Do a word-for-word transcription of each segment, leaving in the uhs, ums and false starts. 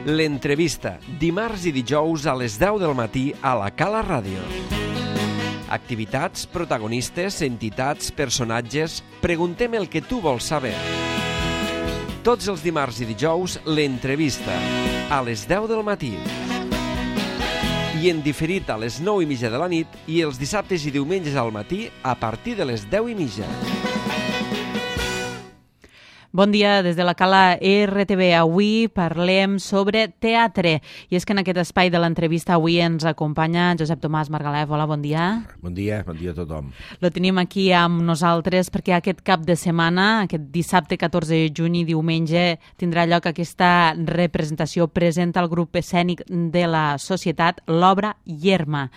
L'entrevista, dimarts i dijous a les deu del matí a la Cala Ràdio. Activitats, protagonistes, entitats, personatges... Preguntem el que tu vols saber. Tots els dimarts i dijous, l'entrevista, a les deu del matí. I en diferit a les nou i mitja de la nit i els dissabtes i diumenges al matí a partir de les deu i mitja. Bon dia, des de la Cala R T V. Avui parlem sobre teatre. I és que en aquest espai de l'entrevista avui ens acompanya Josep Tomàs Margalef. Hola, bon dia. Bon dia, bon dia a tothom. Lo tenim aquí amb nosaltres perquè aquest cap de setmana, aquest dissabte catorze de juny i diumenge, tindrà lloc aquesta representació presenta al grup escènic de la Societat, l'obra Yerma,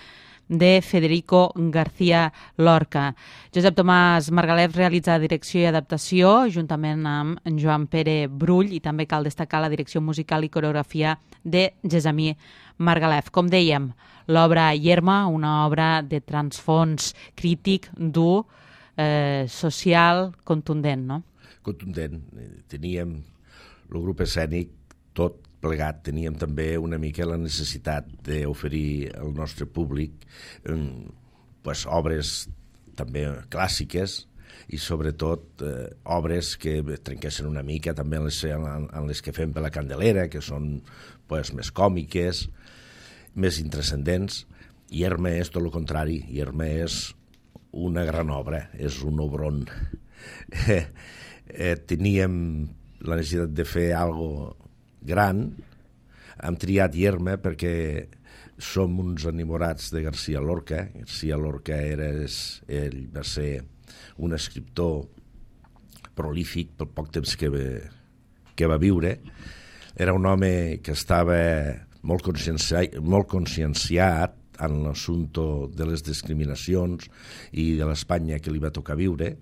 de Federico García Lorca. Josep Tomàs Margalef realitza direcció i adaptació juntament amb en Joan Pere Brull i també cal destacar la direcció musical i coreografia de Gessamí Margalef. Com dèiem, l'obra Yerma, una obra de transfons crític, dur, eh, social, contundent, no? Contundent. Teníem el grup escènic tot plegat, teníem també una mica la necessitat d'oferir al nostre públic eh, pues, obres també clàssiques i sobretot eh, obres que trenquessin una mica també en les, en, en les que fem per la Candelera, que són pues, més còmiques, més intrascendents. Yerma és tot el contrari, Yerma és una gran obra, és un obron. Eh, eh, teníem la necessitat de fer alguna gran, hem triat Yerma perquè som uns enamorats de García Lorca. García Lorca era, ell va ser un escriptor prolífic pel poc temps que va, que va viure. Era un home que estava molt conscienciat, molt conscienciat en l'assumpte de les discriminacions i de l'Espanya que li va tocar viure,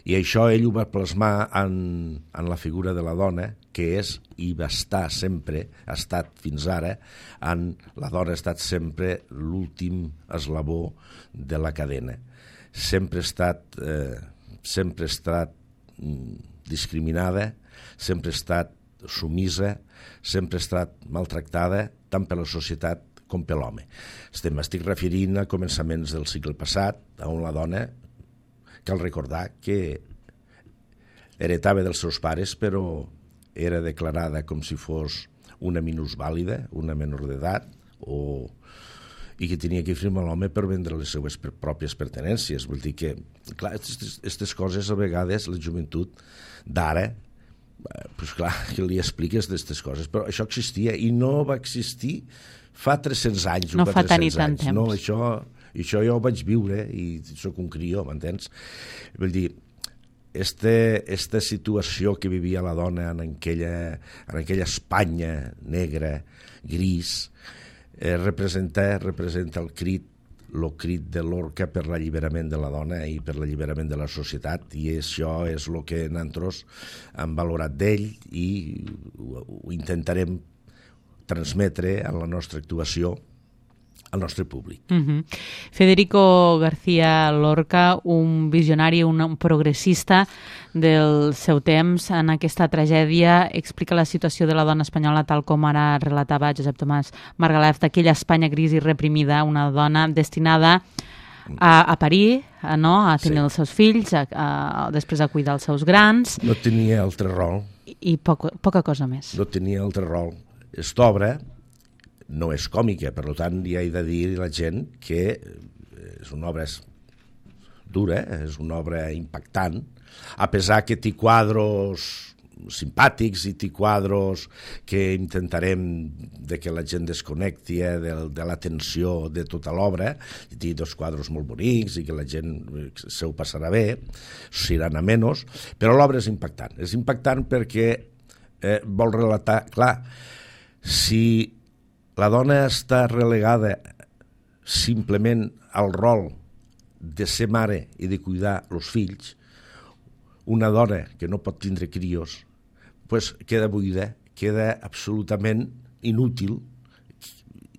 i això ell ho va plasmar en, en la figura de la dona, que és i va estar sempre, ha estat fins ara, en, la dona ha estat sempre l'últim esglaó de la cadena. Sempre ha estat, eh, sempre ha estat discriminada, sempre ha estat sumisa, sempre ha estat maltractada, tant per la societat com per l'home. Estem, estic referint a començaments del segle passat, on la dona, cal recordar que heretava dels seus pares, però era declarada com si fos una minusvàlida, una menor d'edat, o... i que tenia que firmar l'home per vendre les seues pròpies pertenències. Vull dir que, clar, aquestes coses a vegades la joventut d'ara, pues clar, que li expliques d'aquestes coses, però això existia i no va existir fa tres-cents anys. No fa tant i tant temps. No, això... I això jo ho vaig viure i soc un crió, m'entens? Vull dir, esta, esta situació que vivia la dona en aquella, en aquella Espanya negra, gris, eh, representa, representa el crit, el crit de Lorca per l'alliberament de la dona i per l'alliberament de la societat, i això és el que nosaltres hem valorat d'ell i ho, ho intentarem transmetre en la nostra actuació al nostre públic. Uh-huh. Federico García Lorca, un visionari, un, un progressista del seu temps. En aquesta tragèdia explica la situació de la dona espanyola tal com ara relatava Josep Tomàs Margalef, d'aquella Espanya gris i reprimida, una dona destinada a, a parir, a, no? a tenir sí. els seus fills, a, a, després a cuidar els seus grans. No tenia altre rol. I, i poc, poca cosa més. No tenia altre rol. Esta obra no és còmica, per tant, ja he de dir a la gent que és una obra dura, és una obra impactant, a pesar que té quadros simpàtics i té quadros que intentarem de que la gent desconnecti eh, de, de la tensió de tota l'obra, i té dos quadros molt bonics i que la gent se ho passarà bé, seran a menys, però l'obra és impactant. És impactant perquè eh, vol relatar, clar, si la dona està relegada simplement al rol de ser mare i de cuidar els fills, una dona que no pot tindre crios, pues queda buida, queda absolutament inútil,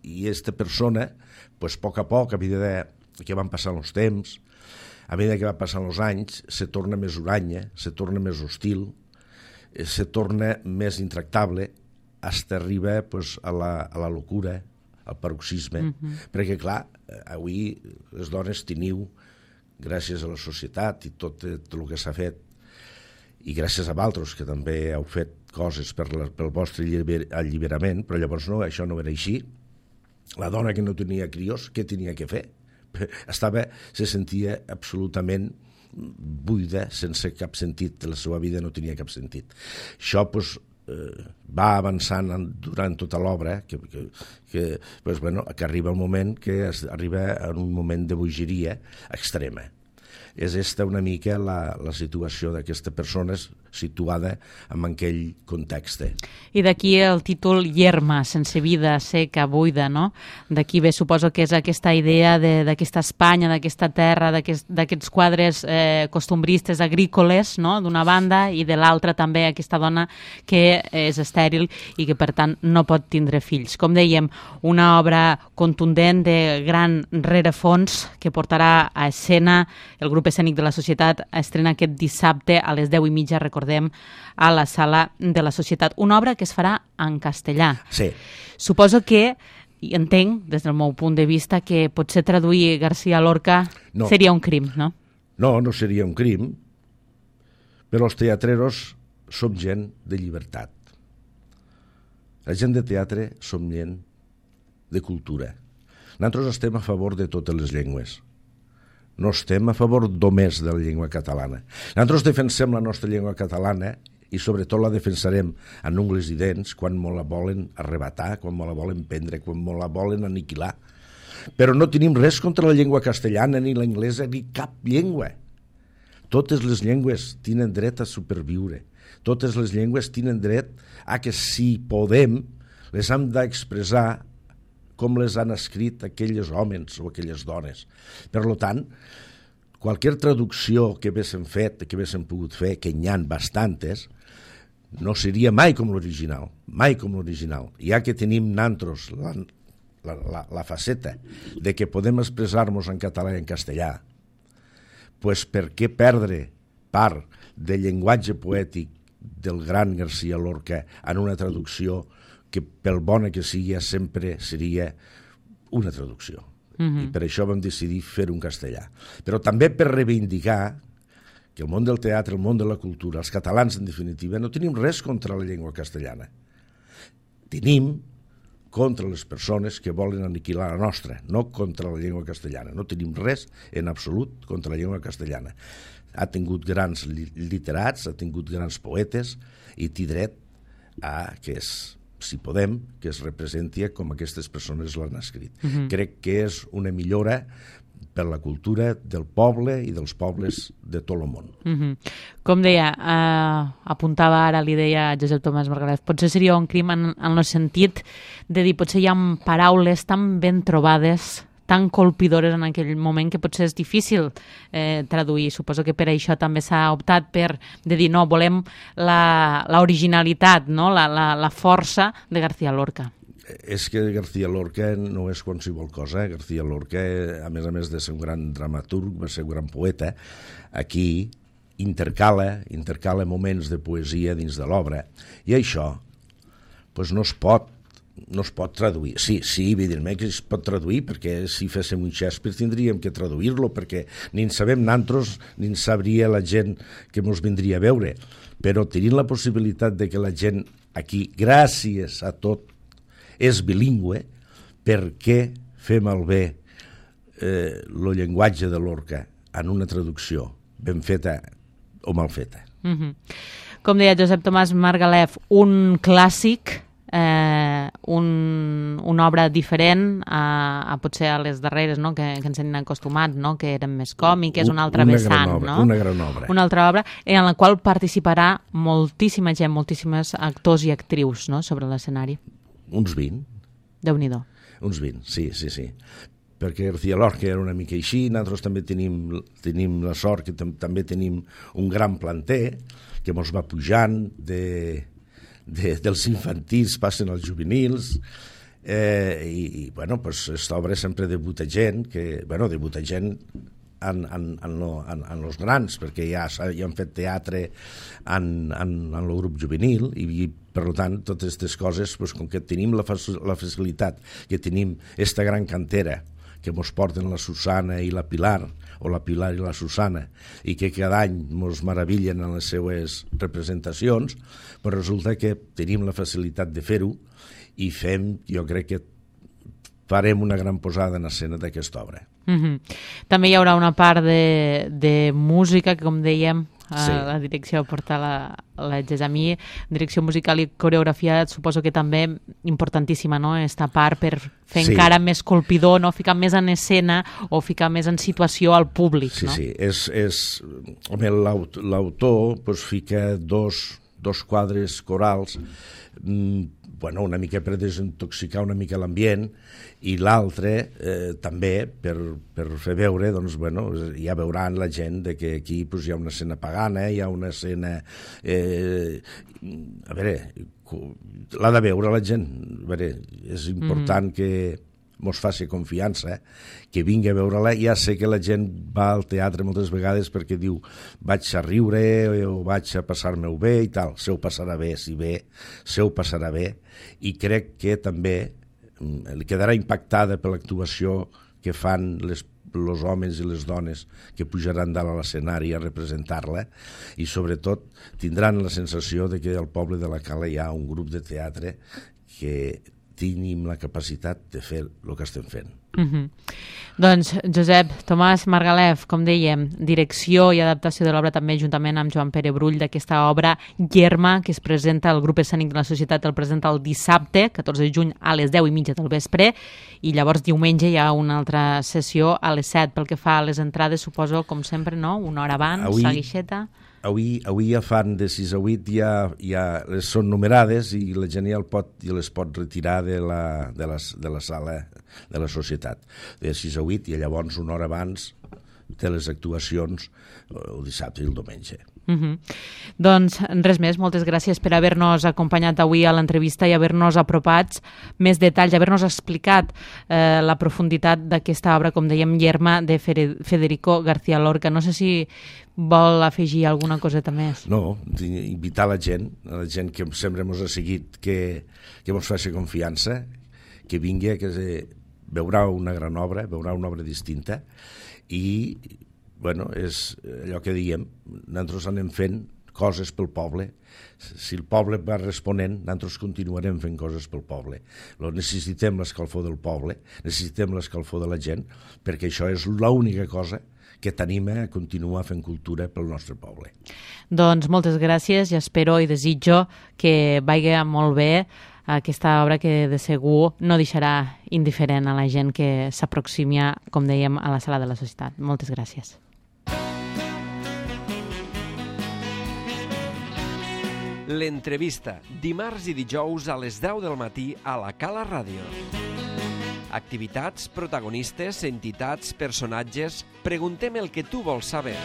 i aquesta persona, pues, a poc a poc, a mesura que van passant els temps, a mesura que van passant els anys, se torna més huranya, se torna més hostil, se torna més intractable, hasta arriba pues, a, la, a la locura, al paroxisme, mm-hmm. perquè, clar, avui les dones teniu, gràcies a la societat i tot, tot el que s'ha fet, i gràcies a vosaltres, que també heu fet coses per la, pel vostre alliberament, però llavors no, això no era així. La dona que no tenia crios, què tenia que fer? Estava, se sentia absolutament buida, sense cap sentit, la seva vida no tenia cap sentit. Això, doncs, eh, va avançant durant tota l'obra, que, que, que, pues, bueno, que arriba el moment que es, arriba en un moment de bogeria extrema. És esta una mica la, la situació d'aquesta persona situada en aquell context. I d'aquí el títol Yerma, sense vida, seca, buida, no? D'aquí ve, suposo que és aquesta idea d'aquesta Espanya, d'aquesta terra, d'aquests aquest, quadres eh, costumbristes, agrícoles, no?, d'una banda, i de l'altra també aquesta dona que és estèril i que, per tant, no pot tindre fills. Com dèiem, una obra contundent de gran rerefons que portarà a escena el grup escènic de la Societat, estrena aquest dissabte a les deu i mitja, recordem, a la Sala de la Societat. Una obra que es farà en castellà. Sí. Suposo que, i entenc, des del meu punt de vista, que potser traduir García Lorca no. seria un crim, no? No, no seria un crim, però els teatreros som gent de llibertat. La gent de teatre som gent de cultura. Nosaltres estem a favor de totes les llengües. No estem a favor només de la llengua catalana. Nosaltres defensem la nostra llengua catalana i sobretot la defensarem amb ungles i dents quan me la volen arrebatar, quan me la volen prendre, quan me la volen aniquilar. Però no tenim res contra la llengua castellana, ni l'anglesa, ni cap llengua. Totes les llengües tenen dret a superviure. Totes les llengües tenen dret a que, si podem, les hem d'expressar com les han escrit aquells homes o aquelles dones. Per tant, qualsevol traducció que haguéssim fet, que haguéssim pogut fer, que n'hi ha bastantes, no seria mai com l'original, mai com l'original. Ja que tenim nosaltres la, la, la, la faceta de que podem expressar-nos en català i en castellà, pues per què perdre part del llenguatge poètic del gran García Lorca en una traducció que pel bona que sigui sempre seria una traducció. Mm-hmm. I per això vam decidir fer un castellà. Però també per reivindicar que el món del teatre, el món de la cultura, els catalans en definitiva, no tenim res contra la llengua castellana. Tenim contra les persones que volen aniquilar la nostra, no contra la llengua castellana. No tenim res en absolut contra la llengua castellana. Ha tingut grans literats, ha tingut grans poetes i té dret a que és, si podem, que es representi com aquestes persones l'han escrit. Uh-huh. Crec que és una millora per la cultura del poble i dels pobles de tot el món. Uh-huh. Com deia, eh, apuntava ara, li deia a Josep Tomàs Margalef, potser seria un crim en, en el sentit de dir, potser hi ha paraules tan ben trobades, tan colpidores en aquell moment que potser és difícil eh, traduir. Suposo que per això també s'ha optat per de dir no, volem l'originalitat, no? la, la, la força de García Lorca. És que García Lorca no és qualsevol cosa. García Lorca, a més a més de ser un gran dramaturg, va ser un gran poeta. Aquí intercala, intercala moments de poesia dins de l'obra. I això pues, no es pot no es pot traduir. Sí, sí, evidentment que es pot traduir, perquè si féssim un Shakespeare tindríem que traduir-lo, perquè ni en sabem nosaltres, ni en sabria la gent que ens vindria a veure. Però tenint la possibilitat de que la gent aquí, gràcies a tot, és bilingüe, per què fer malbé eh, el llenguatge de Lorca en una traducció ben feta o mal feta? Mm-hmm. Com deia Josep Tomàs Margalef, un clàssic, Eh, un, una obra diferent a, a potser a les darreres, no? que, que ens hem acostumat, no? que eren més còmiques, una altra una vessant, obra, no? una gran obra. Una altra obra en la qual participarà moltíssima gent, moltíssimes actors i actrius, no? sobre l'escenari. Uns vint. Déu-n'hi-do. Uns vint, sí, sí, sí. Perquè García Lorca era una mica així, nosaltres també tenim, tenim la sort que tam també tenim un gran planter que ens va pujant de... De, dels infantils passen als juvenils eh, i, i bueno, pues, aquesta obra sempre debuta gent que, bueno, debuta gent en, en, en, lo, en, en los grans, perquè ja, ja han fet teatre en, en, en el grup juvenil i per tant totes aquestes coses, doncs, com que tenim la, la facilitat que tenim esta gran cantera que mos porten la Susana i la Pilar, o la Pilar i la Susana, i que cada any mos meravillen en les seues representacions, però resulta que tenim la facilitat de fer-ho i fem, jo crec que farem una gran posada en escena d'aquesta obra. Mm-hmm. També hi haurà una part de, de música, que com dèiem, sí. La direcció porta la, la Gessamí, direcció musical i coreografia, suposo que també importantíssima, no?, esta part per fer sí. encara més colpidor, no?, ficar més en escena o ficar més en situació al públic, sí, no? Sí, sí, és, és... Home, l'autor pues, fica dos, dos quadres corals, mm, bueno, una mica per desintoxicar una mica l'ambient, i l'altre eh, també per, per fer veure, doncs, bueno, ja veuran la gent de que aquí pues, hi ha una escena pagana, hi ha una escena... Eh, a veure, l'ha de veure la gent. A veure, és important mm. que mos faci confiança, que vingui a veure-la. Ja sé que la gent va al teatre moltes vegades perquè diu vaig a riure o vaig a passar-me-ho bé i tal. Se ho passarà bé, si bé, se ho passarà bé. I crec que també li quedarà impactada per l'actuació que fan les els homes i les dones que pujaran dalt a l'escenari a representar-la, i sobretot tindran la sensació de que al poble de la Cala hi ha un grup de teatre que tenim la capacitat de fer el que estem fent. Mm-hmm. Doncs Josep Tomàs Margalef, com dèiem, direcció i adaptació de l'obra també juntament amb Joan Pere Brull d'aquesta obra Yerma, que es presenta al grup escènic de la Societat, el presenta el dissabte, catorze de juny, a les deu i mitja del vespre, i llavors diumenge hi ha una altra sessió a les set. Pel que fa a les entrades, suposo, com sempre, no? Una hora abans, avui, la guixeta... Avui, avui ja fan de sis a vuit, ja, ja les són numerades i la gent ja, el pot, ja les pot retirar de la, de, la, de la sala de la Societat. De sis a vuit i llavors una hora abans de les actuacions el dissabte i el diumenge. Mm-hmm. Doncs res més, moltes gràcies per haver-nos acompanyat avui a l'entrevista i haver-nos apropat més detalls, haver-nos explicat eh, la profunditat d'aquesta obra, com dèiem, Yerma, de Federico García Lorca. No sé si vol afegir alguna coseta més. No, invitar la gent, a la gent que sempre ens ha seguit, que, que ens faci confiança, que vingui, que se, veurà una gran obra, veurà una obra distinta, i bueno, és allò que diem, nosaltres anem fent coses pel poble. Si el poble va responent, nosaltres continuarem fent coses pel poble. Necessitem l'escalfor del poble, necessitem l'escalfor de la gent, perquè això és l'única cosa que t'anima a continuar fent cultura pel nostre poble. Doncs moltes gràcies i espero i desitjo que vagi molt bé aquesta obra, que de segur no deixarà indiferent a la gent que s'aproximi, com dèiem, a la sala de la Societat. Moltes gràcies. L'entrevista, dimarts i dijous a les deu del matí a la Cala Ràdio. Activitats, protagonistes, entitats, personatges... Preguntem el que tu vols saber.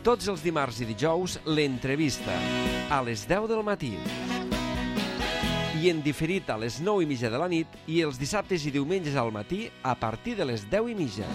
Tots els dimarts i dijous, l'entrevista, a les deu del matí. I en diferit a les nou i mitja de la nit i els dissabtes i diumenges al matí a partir de les deu i mitja.